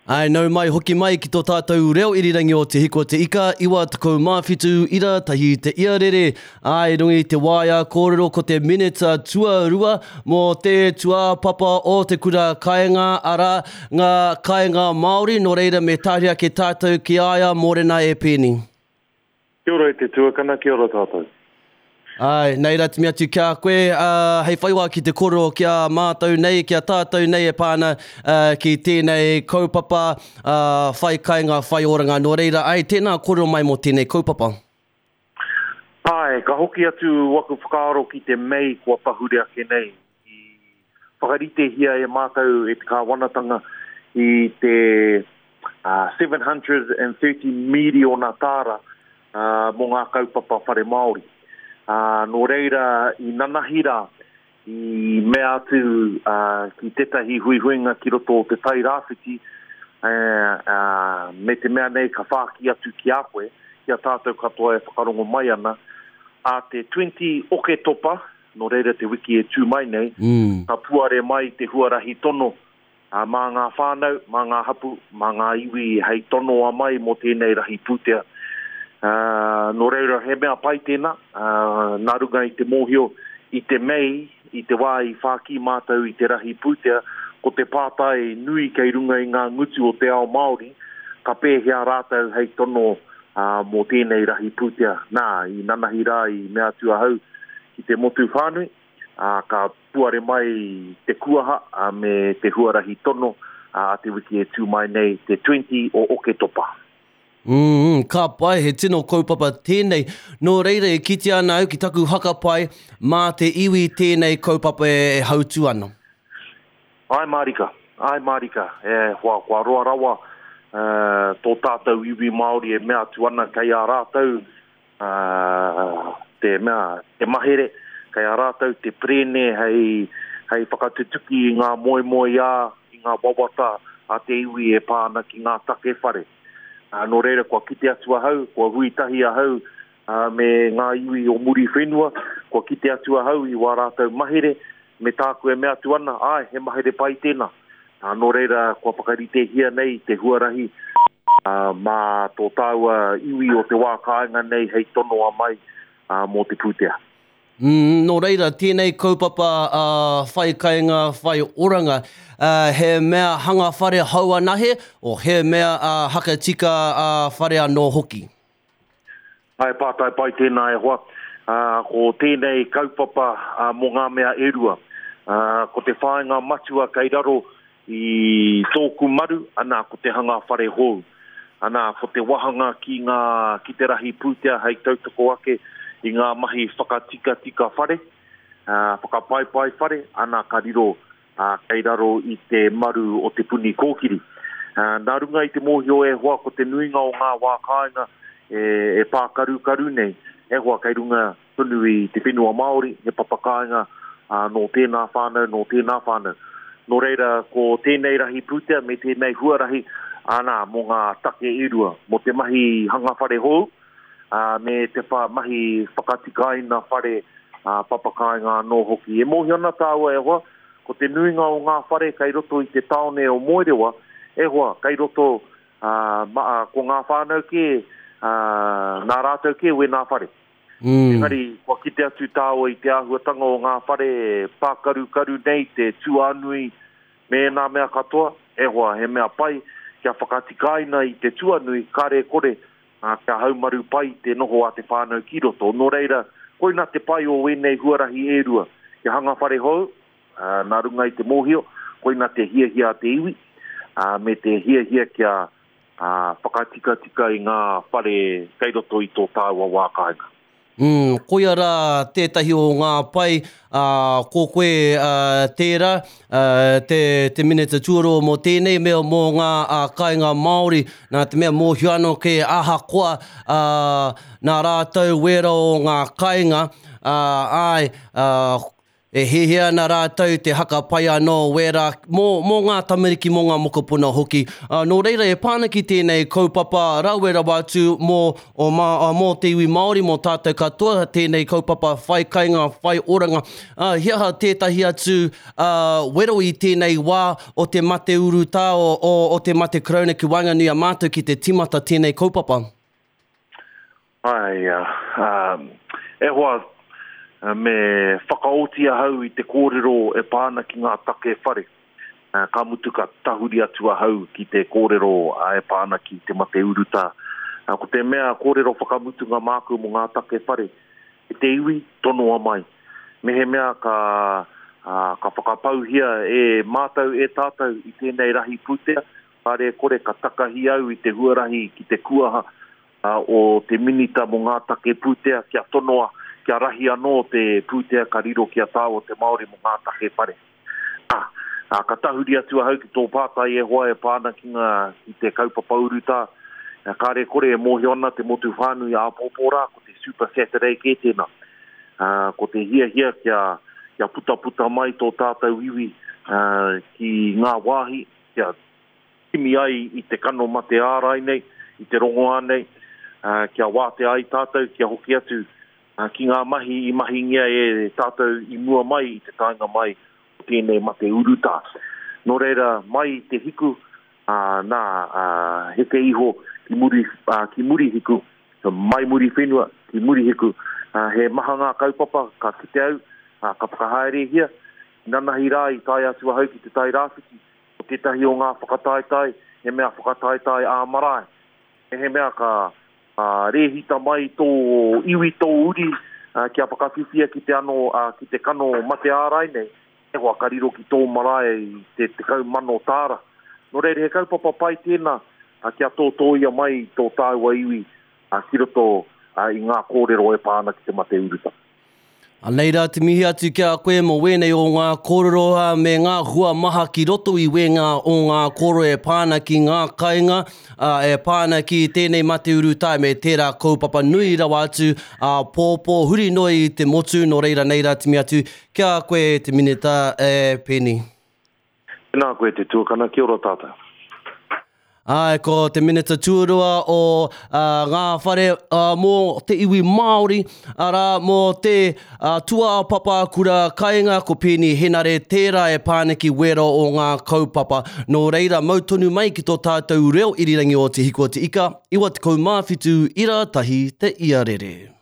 Āe, nau mai, hoki mai ki tō tātou reo irirangi o Te Hiko Te Ika, 97 ira tahi te iarere. Āe, i runga i te waea kōrero ko te minita tuarua mō te tūāpapa o te kura kainga, arā, ngā kainga Māori, nō reira me tahuri ake tātou ki a ia, mōrena e Peeni. Kia ora e te tuakana, kia ora tātou. Āe, nei rā te mea atu ki a koe, ā, hei whai wā ki te kōrero ki a mātou nei, ki a tātou nei e pā ana ki tēnei kaupapa, ā, whai kainga, whai oranga. Nō reira, āe, tēnā kōrero mai mō tēnei kaupapa. Āe, ka hoki atu waku whakaaro ki te Mei kua pahure ake nei, i whakaritehia e mātou e te kāwanatanga i te 730 miriona tāra mō ngā kaupapa whare Māori. Nō reira, i nanahi rā, i mea atu ki tētahi huihuinga ki roto o Te Tai Rāwhiti, me te mea nei ka whāki atu ki a koe, ki a tātou katoa e whakarongo mai ana, ā te 20 Oketopa, nō reira te wiki e tū mai nei, ka puare mai te huarahi tono mā ngā whānau, mā ngā hapū, mā ngā iwi hei tonoa mai mō tēnei rahi pūtea. Nō reira, he mea pai tēnā, nā runga i te mōhio i te Mei, i te wā i whākī mātou i te rahi pūtea, ko te pātai nui kei runga i ngā ngutu o te ao Māori, ka pēhea rātou hei tono mō tēnei rahi pūtea. Nā, i nanahi rā i mea atu ahau ki te motu whānui, ā, ka puare mai te kuaha me te huarahi tono a te wiki e tū mai nei, te 20 o Oketopa. Mm, ka pai, he tino kaupapa tēnei. Nō reira e kitea ana au ki taku whakapae, mā te iwi tēnei kaupapa e hautū ana. Āe mārika, āe mārika, e hoa, kua roa rawa tō tātou iwi Māori e mea atu ana kei a rātou te mea, te mahere, kei a rātou te perēne hei, hei whakatutuki i ngā moemoeā, i ngā wawata a te iwi e pā ana ki ngā take whare. Nō reira, kua kite atu ahau, kua hui tahi ahau me ngā iwi o Muriwhenua, kua kite atu ahau i wā rātou mahere, me tāku e mea atu ana, āe, he mahere pai tēnā. Ā, nō reira, kua whakaritehia nei te huarahi mā tō tāua iwi o te wā kāinga nei hei tonoa mai mō te pūtea. Mm, nō reira, tēnei kaupapa a Whai Kainga, Whai Oranga, he mea hanga whare hou anahe, o he mea hakatika whare anō hoki? He pātai pai tēnā e hoa. Ko tēnei kaupapa mō ngā mea e rua. Ko te whāinga matua kei raro i tōku maru, ana, ko te hanga whare hou. Ana, ko te wahanga ki ngā, ki te rahi pūtea hei tautoko ake i ngā mahi whakatikatika whare, whakapaipai whare, ana, ka riro ā, kei raro i te maru o Te Puni Kōkiri. Nā runga i te mōhio e hoa ko te nuinga o ngā wā kāinga e pākarukaru nei, e hoa kei runga tonu i te whenua Māori, he papa kāinga nō tēnā whānau, nō tēnā whānau. Nō reira, ko tēnei rahi pūtea me tēnei huarahi, ana, mō ngā take e rua, mō te mahi hanga whare hou, ā, me te wha, mahi whakatikaina whare, ā, papakāinga anō hoki. E mōhio ana tāua, e hoa, ko te nuinga o ngā whare kei roto i te tāone o Moerewa, e hoa, kei roto, ā, ma, ā, ko ngā whānau kē, ā, nā rātou kē wēnā whare. Mm. Engari, kua kite atu tāua i te āhuatanga o ngā whare pākarukaru nei, te tūānui, me ēnā mea katoa, e hoa, he mea pai kia whakatikaina i te tuanui, kare kore, ā, kia haumaru pai te noho a te whānau ki roto. Nō reira, koina te pai o ēnei huarahi e rua, kia hanga whare hou, ā, nā runga i te mōhio, koina te hiahia a te iwi, ā, me te hiahia kia, ā, whakatikatika i ngā whare kei roto i tō tāua wā kāinga. Mm, koia rā tētahi o ngā pai, ā, ko koe ā, tērā, ā, te, te Minita Tuarua mō tēnei mea mō ngā ā, kāinga Māori, nā te mea mōhio anō kē ahakoa ā, nā rātou wēra o ngā kāinga, ā, āe, ā, E hiahia ana rātou te haka pai anō wērā mō, mō ngā tamariki, mō ngā mokopuna hoki. Ā, nō reira, e pā ana ki tēnei kaupapa rawe rawa atu mō, o mā, ā, mō te iwi Māori, mō tātou katoa tēnei kaupapa whai kainga, whai oranga. Ā, he aha tētahi atu, ā, wero i tēnei wā o te mate urutā, o, o, o te mate Karauna ki waenganui a mātou ki te tīmata tēnei kaupapa? Āe, e hoa, me whakaoti ahau i te kōrero e pā ana ki ngā take whare. Ka mutu ka tahuri atu ahau ki te kōrero e pā ana ki te mate urutā. Ko te mea kōrero whakamutunga māku mō ngā take whare, e te iwi, tonoa mai. Mehemea ka, ka whakapauhia e mātou, e tātou i tēnei rahi pūtea, kāre e kore ka takahi au i te huarahi ki te kuaha, o te Minita mō ngā take pūtea kia tonoa, kia rahi anō te pūtea ka riro ki a tāua te Māori mō ngā take whare. Ā, ā, ka tahuri atu ahau ki tō pātai e hoa e pā ana ki ngā, ki te kaupapa urutā, kāre kore e mōhio ana te motu whānui āpōpō rā, ko te Super Saturday kē tēnā. Ā, ko te hiahia kia, kia putaputa mai tō tātou iwi, ā, ki ngā wāhi, kia kimi ai i te kano mate ārai nei, i te rongoā nei, kia wātea ai tātou kia hoki atu ki ngā mahi i mahingia e tātou i mua mai i te taenga mai o tēnei mate urutā. Nō reira, mai i te hiku, nā, heke iho ki muri, ki Murihiku, mai Muriwhenua ki Murihiku, he maha ngā kaupapa ka kite au, ka whakahaerehia. Nanahi rā i tae atu ahau ki Te Tai Rāwhiti, Ko tētahi o ngā whakataetae, he mea whakataetae ā-marae. Mehemea ka rēhita mai tō iwi, tō uri kia whakawhiwhia ki te ano, ki te kano mate ārai nei, he hoa ka riro ki tō marae i te 10,000 tāra. Nō reira, he kaupapa pai tēnā kia tōtōia mai tō tāua iwi ki roto i ngā kōrero e pā ana ki te mate urutā. Anei rā te mihi atu ki a koe mō wēnei o ngā kōrero me ngā hua maha ki roto i wēngā o ngā kōrero e pā ana ki ngā kainga, e pā ana ki tēnei mate urutā me tērā kaupapa nui rawa atu āpōpō huri noa i te motu, nō reira nei rā te mihi atu ki a koe e te Minita, e Peeni. Tēnā koe te tuakana, kia ora tātou. Āe, ko te Minita tuarua o ngā whare mō te iwi Māori, arā, mō te tūāpapa kura kainga, ko Peeni Henare tērā e pāneki wera o ngā kaupapa. Nō reira, mau tonu mai ki tō tātou reo irirangi o Te Hiku o Te Ika, 97 ira tahi te iarere.